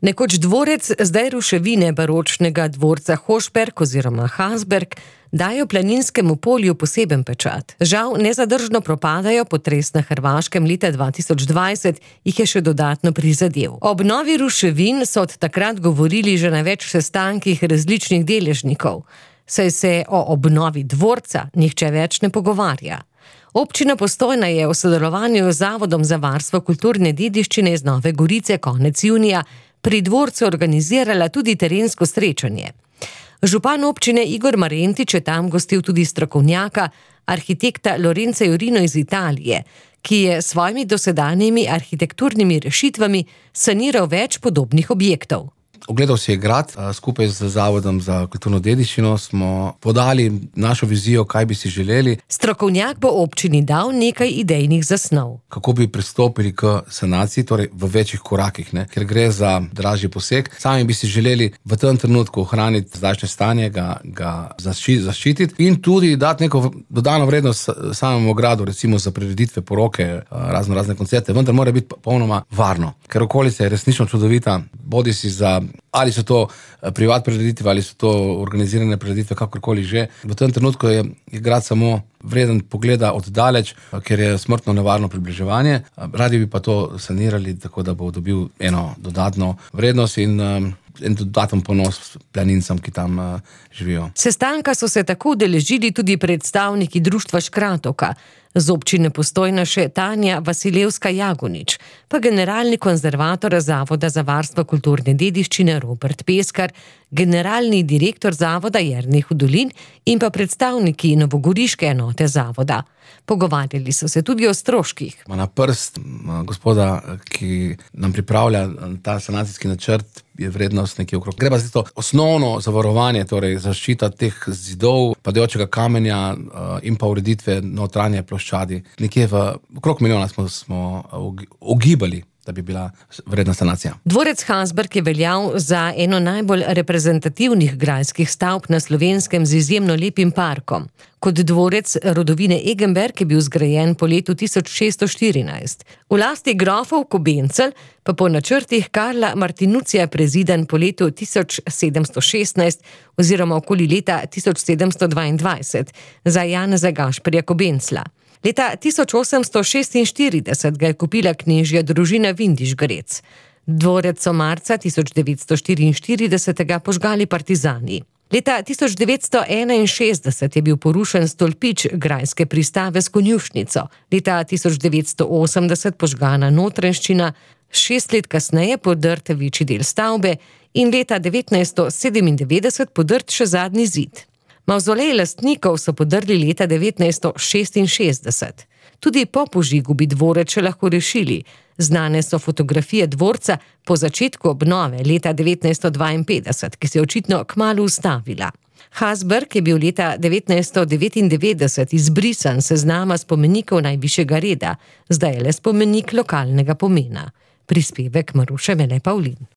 Nekoč dvorec, zdaj ruševine baročnega dvorca Hošberg oziroma Hasberg dajo planinskemu polju poseben pečat. Žal nezadržno propadajo, potres na Hrvaškem leta 2020 jih je še dodatno prizadel. O obnovi ruševin so od takrat govorili že na več sestankih različnih deležnikov, saj se o obnovi dvorca nihče več ne pogovarja. Občina Postojna je v sodelovanju z Zavodom za varstvo kulturne dediščine iz Nove Gorice konec junija pri dvorcu organizirala tudi terensko srečanje. Župan občine Igor Marentič je tam gostil tudi strokovnjaka, arhitekta Lorenza Jurino iz Italije, ki je s svojimi dosedanjimi arhitekturnimi rešitvami saniral več podobnih objektov. Ogledal si je grad, skupaj z Zavodom za kulturno dediščino smo podali našo vizijo, kaj bi si želeli. Strokovnjak bo občini dal nekaj idejnih zasnov. Kako bi pristopili k sanaciji, torej v večjih korakih, ker gre za dražji poseg. Sami bi si želeli v tem trenutku ohraniti zdajšnje stanje, ga zaščititi in tudi dati neko dodano vrednost samemu gradu, recimo za prireditve, poroke, razne koncerte, vendar mora biti popolnoma varno. Ker okolica je resnično čudovita, bodisi za ali so to privat prireditve, ali so to organizirane prireditve, kakorkoli že. V tem trenutku je grad samo vreden pogleda od daleč, ker je smrtno nevarno približevanje. Radi bi pa to sanirali, tako da bo dobil eno dodatno vrednost in en dodaten ponos planincem, ki tam živijo. Sestanka so se tako udeležili tudi predstavniki društva Škratovka, z občine Postojna še Tanja Vasilevska-Jagonič, pa generalni konzervator Zavoda za varstvo kulturne dediščine Robert Peskar, generalni direktor zavoda Jernej Hudolin in pa predstavniki novogoriške enote zavoda. Pogovarjali so se tudi o stroških. Na prst gospoda, ki nam pripravlja ta sanacijski načrt, je vrednost nekje okrog. Gre pa za to osnovno zavarovanje, torej zaščita teh zidov, padajočega kamenja in pa ureditve notranje ploščadi. Nekje okrog milijona smo ugibali, da bi bila vredna sanacija. Dvorec Hasberg je veljal za eno najbolj reprezentativnih grajskih stavb na Slovenskem z izjemno lepim parkom. Kot dvorec rodovine Egenberg je bil zgrajen po letu 1614. V lasti grofov Kobencel pa po načrtih Karla Martinucija prezidan po letu 1716 oziroma okoli leta 1722 za Janeza Gašperja Kobencla. Leta 1846 ga je kupila knežja družina Vindiš-Grec. Dvorec so marca 1944 požgali partizani. Leta 1961 je bil porušen stolpič grajske pristave s konjušnico. Leta 1980 požgana notranjščina, 6 let kasneje podrt večji del stavbe in leta 1997 podrt še zadnji zid. Mavzolej lastnikov so podrli leta 1966. Tudi po požigu bi dvorec še lahko rešili. Znane so fotografije dvorca po začetku obnove leta 1952, ki se je očitno kmalu ustavila. Hasberg je bil leta 1999 izbrisan s seznama spomenikov najvišjega reda, zdaj je le spomenik lokalnega pomena. Prispevek Maruše Mele Pavlin.